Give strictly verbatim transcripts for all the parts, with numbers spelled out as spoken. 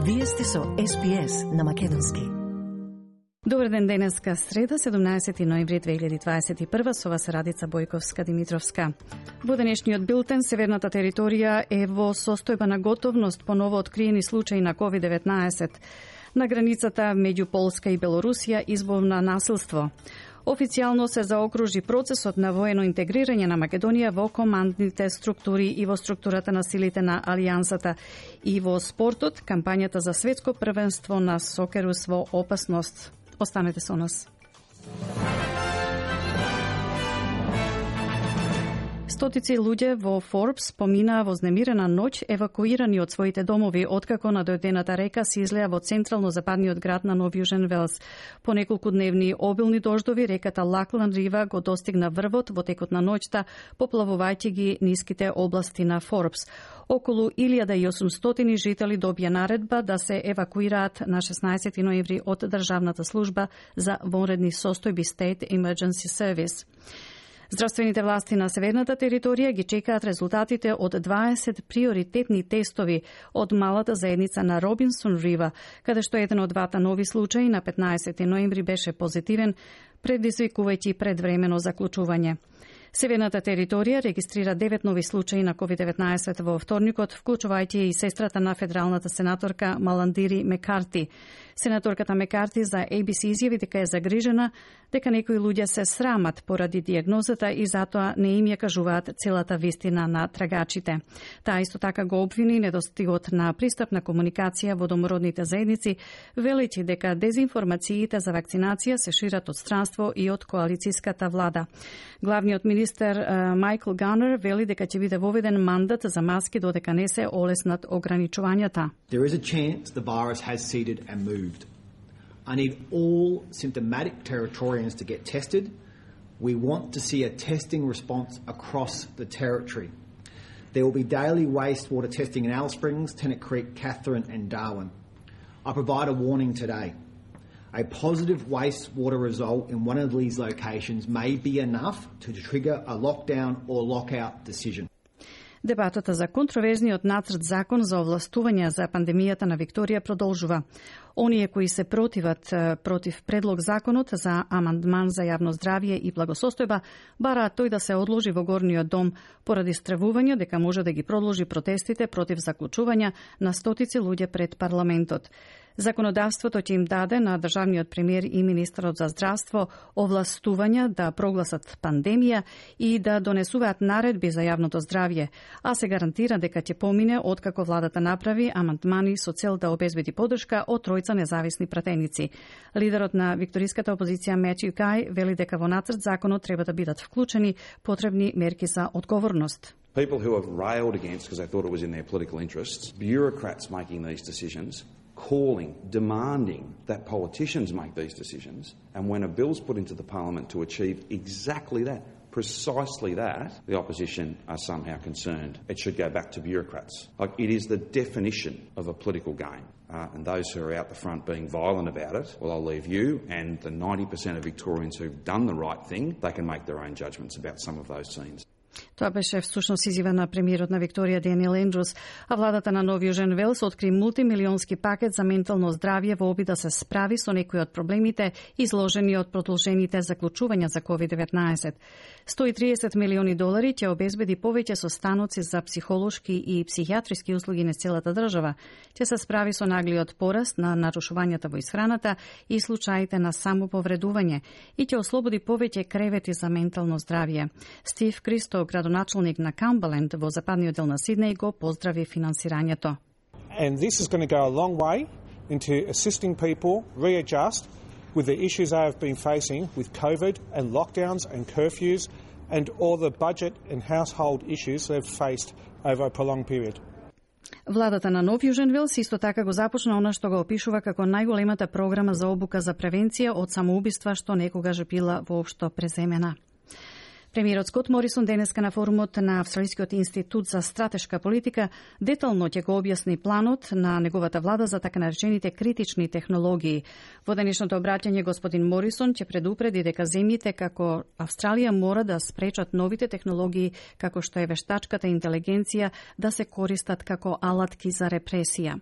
Вие сте со Ес Би Ес на македонски. Добар ден, денеска среда, седумнаесети ноември две илјади дваесет и прва, со вас Радица Бојковска-Димитровска. Во денешниот билтен, северната територија е во состојба на готовност по ново откриени случаи на ковид деветнаесет. На границата меѓу Полска и Белорусија избовна насилство. Официјално се заокружи процесот на воено интегрирање на Македонија во командните структури и во структурата на силите на Алијансата. И во спортот, кампањата за светско првенство на сокерус во опасност. Останете со нас. Стотици луѓе во Форбс поминаа вознемирена ноќ евакуирани од своите домови откако на дојдената река се излеа во централно-западниот град на Нов Јужен Велс. По неколку дневни обилни дождови реката Лаклан Рива го достигна врвот во текот на ноќта, поплавувајќи ги ниските области на Форбс. Околу илјада и осумстотини жители добија наредба да се евакуираат на шеснаесети ноември од Државната служба за вонредни состојби State Emergency Service. Здравствените власти на северната територија ги чекаат резултатите од дваесет приоритетни тестови од малата заедница на Робинсон Рива, каде што еден од двата нови случаи на петнаесети ноември беше позитивен, предизвикувајќи предвремено заклучување. Северната територија регистрира девет нови случаи на ковид деветнаесет во вторникот, вклучувајќи и сестрата на федералната сенаторка Маландири Мекарти. Сенаторката Мекарти за Ей Би Си изјави дека е загрижена дека некои луѓе се срамат поради диагнозата и затоа не им ја кажуваат целата вистина на трагачите. Таа исто така го обвини недостигот на пристап на комуникација во домородните заедници, велејќи дека дезинформациите за вакцинација се шират од странство и од коалицијската влада. Главниот министер Майкл Ганер вели дека ќе биде воведен мандат за маски додека не се олеснат ограничувањата. There is a chance the virus has seeded and moved. I need all symptomatic Territorians to get tested. We want to see a testing response across the territory. There will be daily wastewater testing in Alice Springs, Tennant Creek, Catherine and Darwin. I provide a warning today. A positive wastewater result in one of these locations may be enough to trigger a lockdown or lockout decision. Дебатата за контроверзниот нацрт закон за овластување за пандемијата на Викторија продолжува. Оние кои се противат против предлог законот за амандман за јавно здравје и благосостојба бараат тој да се одложи во горниот дом поради стравување дека може да ги продолжи протестите против заклучувања на стотици луѓе пред парламентот. Законодавството ќе им даде на државниот премиер и министерот за здравство овластувања да прогласат пандемија и да донесуваат наредби за јавното здравје, а се гарантира дека ќе помине откако владата направи амандмани со цел да обезбеди поддршка од тројца независни пратеници. Лидерот на викториската опозиција Мечју Кај вели дека во нацрт законот треба да бидат вклучени потребни мерки за одговорност. People who have railed against because they thought it was in their political interests, bureaucrats making these decisions, calling, demanding that politicians make these decisions, and when a bill's put into the parliament to achieve exactly that, precisely that, the opposition are somehow concerned it should go back to bureaucrats. Like, it is the definition of a political game. Uh, and those who are out the front being violent about it, well, I'll leave you and the ninety percent of Victorians who've done the right thing, they can make their own judgments about some of those scenes. Тоа беше всушност изјава на премиерот на Викторија Даниел Ендрус, а владата на Нов Јужен Велс откри мултимилионски пакет за ментално здравје во обид да се справи со некои од проблемите изложени од продолжените заклучувања за ковид деветнаесет. сто и триесет милиони долари ќе обезбеди повеќе состаноци за психолошки и психијатриски услуги на целата држава. Ќе се справи со наглиот пораст на нарушувањата во исхраната и случаите на самоповредување и ќе ослободи повеќе кревети за ментално здравје. Стив Кристо, градоначалник на Камберленд во западниот дел на Сиднеј, го поздрави финансирањето. And this is going to go a long way into assisting people readjust with the issues they have been facing with COVID and lockdowns and curfews and all the budget and household issues they've faced over a prolonged period. Владата на Нов Јужен Велс исто така го започна она што го опишува како најголемата програма за обука за превенција од самоубиства што некогаш била воопшто преземена. Премиерот Скот Морисон денеска на форумот на Австралискиот институт за стратешка политика детално ќе го објасни планот на неговата влада за така наречените критични технологии. Во денешното обраќање господин Морисон ќе предупреди дека земјите како Австралија мора да спречат новите технологии како што е вештачката интелигенција да се користат како алатки за репресија.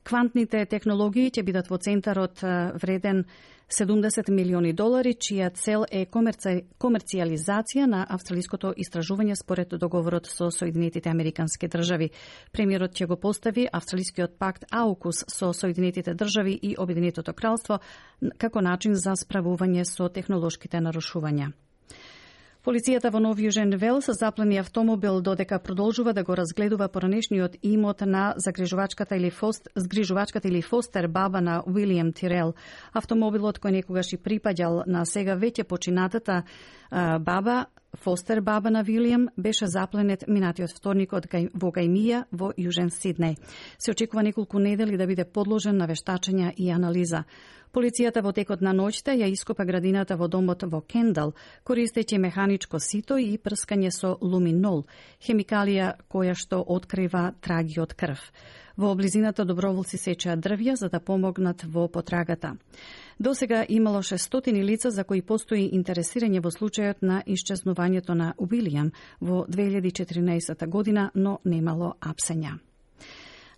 Квантните технологии ќе бидат во центарот вреден седумдесет милиони долари, чија цел е комерци... комерцијализација на австралиското истражување според договорот со Соединетите Американски држави. Премиерот ќе го постави австралискиот пакт АУКУС со Соединетите држави и Обединетото кралство како начин за справување со технолошките нарушувања. Полицијата во Нов Јужен Велс заплени автомобил додека продолжува да го разгледува поранешниот имот на загрижувачката или фост, згрижувачката или фостер баба на Уилијам Тирел. Автомобилот кој некогаш и припаѓал на сега веќе починатата а, баба, фостер баба на Вилијам, беше запленет минатиот вторник од во Гајмија во Јужен Сиднеј. Се очекува неколку недели да биде подложен на вештачење и анализа. Полицијата во текот на ноќта ја ископа градината во домот во Кендал, користејќи механичко сито и прскање со луминол, хемикалија која што открива траги од крв. Во близината доброволци сечеа дрвја за да помогнат во потрагата. Досега имало шестстотини лица за кои постои интересирање во случајот на исчезнувањето на Уилијам во две илјади и четиринаесета година, но немало апсења.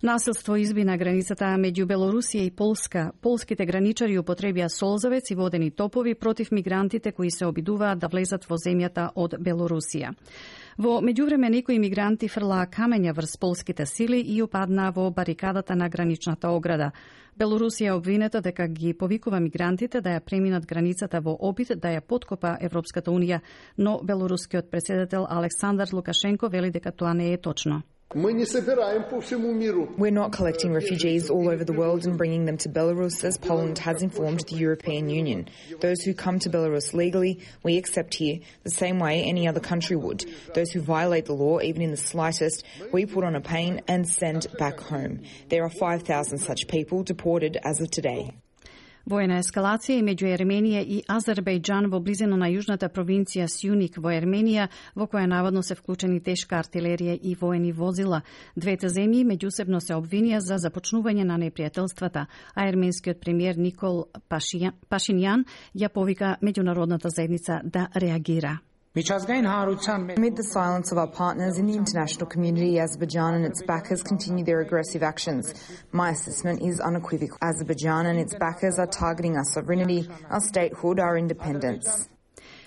Насилство изби на границата меѓу Белорусија и Полска. Полските граничари употребија солзавец и водени топови против мигрантите кои се обидуваат да влезат во земјата од Белорусија. Во меѓувреме некои мигранти фрлаа камења врз полските сили и упаднаа во барикадата на граничната ограда. Белорусија обвинета дека ги повикува мигрантите да ја преминат границата во обид да ја подкопа Европската унија, но белорускиот претседател Александар Лукашенко вели дека тоа не е точно. We're not collecting refugees all over the world and bringing them to Belarus, as Poland has informed the European Union. Those who come to Belarus legally, we accept here the same way any other country would. Those who violate the law, even in the slightest, we put on a plane and send back home. There are five thousand such people deported as of today. Воена ескалација и меѓу Ерменија и Азербејџан во близина на јужната провинција Сјуник во Ерменија, во која наводно се вклучени тешка артилерија и воени возила. Двете земји меѓусебно се обвинија за започнување на непријателствата, а ерменскиот премиер Никол Пашињан ја повика меѓународната заедница да реагира. Amid the silence of our partners in the international community, Azerbaijan and its backers continue their aggressive actions. My assessment is unequivocal. Azerbaijan and its backers are targeting our sovereignty, our statehood, our independence.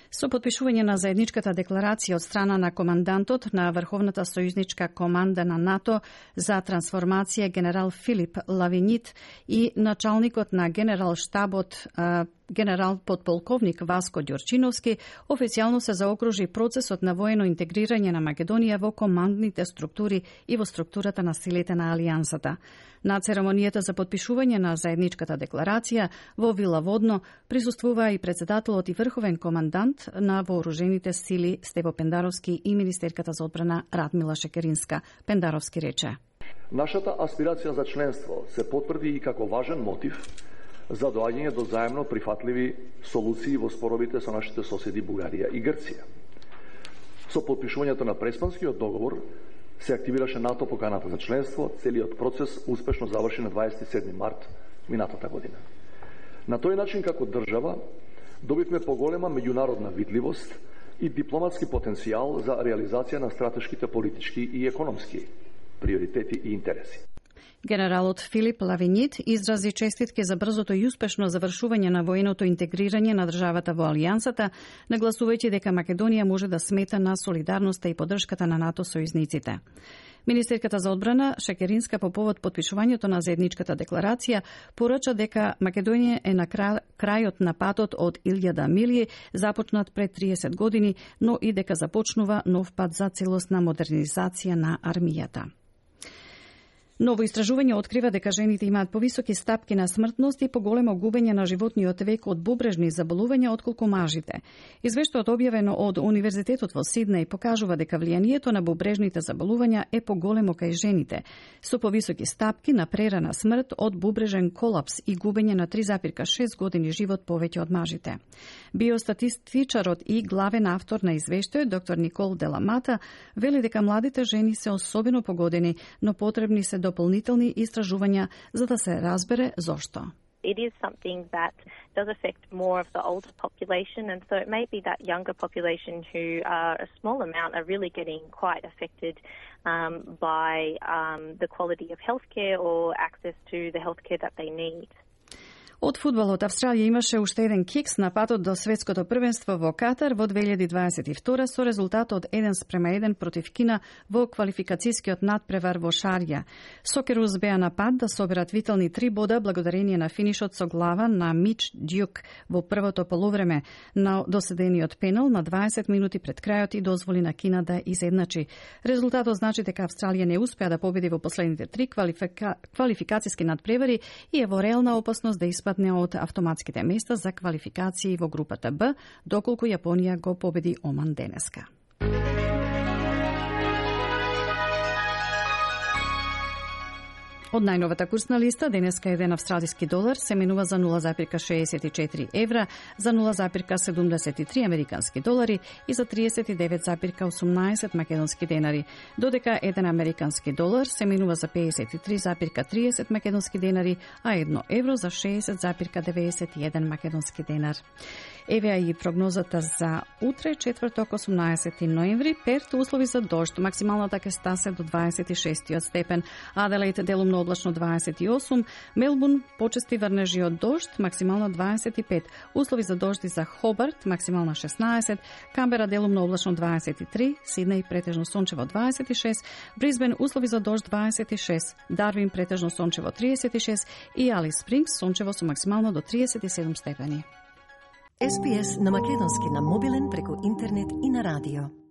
Со потпишување на заедничката декларација од страна на командантот на Врховната сојузничка команда на НАТО за трансформација генерал Филип Лавинит и началникот на генерал штабот генерал подполковник Васко Ѓорчиновски, официјално се заокружи процесот на воено интегрирање на Македонија во командните структури и во структурата на силите на Алијансата. На церемонијата за потпишување на заедничката декларација во Вила Водно присуствуваа и председателот и врховен командант на вооружените сили Стево Пендаровски и министерката за одбрана Радмила Шекеринска. Пендаровски рече: Нашата аспирација за членство се потврди и како важен мотив за доаѓање до заемно прифатливи солуции во споровите со нашите соседи Бугарија и Грција. Со потпишувањето на Преспанскиот договор се активираше НАТО поканата за членство, целиот процес успешно заврши на дваесет и седми март минатата година. На тој начин, како држава, добивме поголема меѓународна видливост и дипломатски потенцијал за реализација на стратешките политички и економски приоритети и интереси. Генералот Филип Лавинит изрази честитки за брзото и успешно завршување на военото интегрирање на државата во Алијансата, нагласувајќи дека Македонија може да смета на солидарноста и поддршката на НАТО сојузниците. Министерката за одбрана Шекеринска по повод потпишувањето на заедничката декларација порача дека Македонија е на крајот на патот од илјада милји започнат пред триесет години, но и дека започнува нов пат за целосна модернизација на армијата. Ново истражување открива дека жените имаат повисоки стапки на смртност и поголемо губење на животниот век од бубрежни заболувања отколку мажите. Извештајот објавено од Универзитетот во Сиднеј покажува дека влијанието на бубрежните заболувања е поголемо кај жените, со повисоки стапки на прерана смрт од бубрежен колапс и губење на три зарез и шест години живот повеќе од мажите. Биостатистичарот и главен автор на извештајот, доктор Никол Деламата, вели дека младите жени се особено погодени, но потребни се дополнителни истражувања за да се разбере зошто. it is something that does affect more of the older population, and so it may be that younger population who are a small amount are really getting quite affected um, by um, the quality of healthcare or access to the healthcare that they need. Од фудбалот, Австралија имаше уште еден кикс на патот до светското првенство во Катар во две илјади дваесет и втора со резултат од еден спрема еден против Кина во квалификацијскиот надпревар во Шарја. Сокерус беа на пат да соберат вителни три бода благодарение на финишот со глава на Мич Дјук во првото полувреме на доседениот пенал на дваесет минути пред крајот и дозволи на Кина да изедначи. Резултатот значи дека Австралија не успеа да победи во последните три квалифика... квалификацијски надпревари и е во реална опасност да испадне од автоматските места за квалификации во групата Б, доколку Јапонија го победи Оман денеска. Од најновата курсна листа, денеска еден австралиски долар се менува за нула запирка шеесет и четири евра, за нула запирка седумдесет и три американски долари и за триесет и девет запирка осумнаесет македонски денари, додека еден американски долар се менува за пеесет и три запирка триесет македонски денари, а едно евро за шеесет запирка деветдесет и еден македонски денар. Еве и прогнозата за утре, четврток, осумнаесети ноември. Перт услови за дожд, максималната ќе стасе до дваесет и шести степен, Аделаид делумно облачно дваесет и осум, Мелбурн почести врнежи од дожд, максимално дваесет и пет, услови за дожди за Хобарт, максимално шеснаесет, Камбера делумно облачно дваесет и три, Сиднеј претежно сончево дваесет и шест, Брисбен услови за дожд дваесет и шест, Дарвин претежно сончево триесет и шест и Алис Спрингс сончево со максимално до триесет и седум степени. Ес Би Ес на македонски на мобилен преку интернет и на радио.